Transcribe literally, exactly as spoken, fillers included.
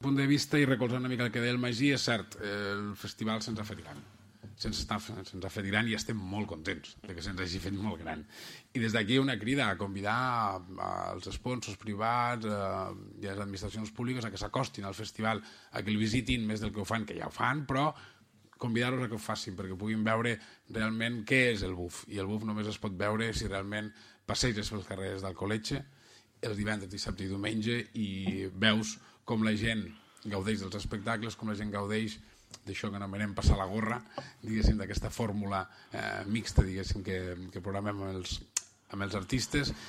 punt de vista, i recolzant una mica el que deia el Magí, és cert, el festival se'ns ha fet gran. Se'ns ha fet gran i estem molt contents que se'ns hagi fet molt gran. I des d'aquí una crida a convidar els sponsors privats i les administracions públiques a que s'acostin al festival, a que el visitin més del que ho fan, que ja ho fan, però convidar-los a que ho facin, perquè puguin veure realment què és el buf. I el buf només es pot veure si realment passeges pels carrers d'Alcoletge els divendres, dissabte i diumenge i veus com la gent gaudeix dels espectacles, com la gent gaudeix d'això que anomenem passar la gorra, diguéssim, d'aquesta fórmula mixta, diguéssim, que programem amb els artistes,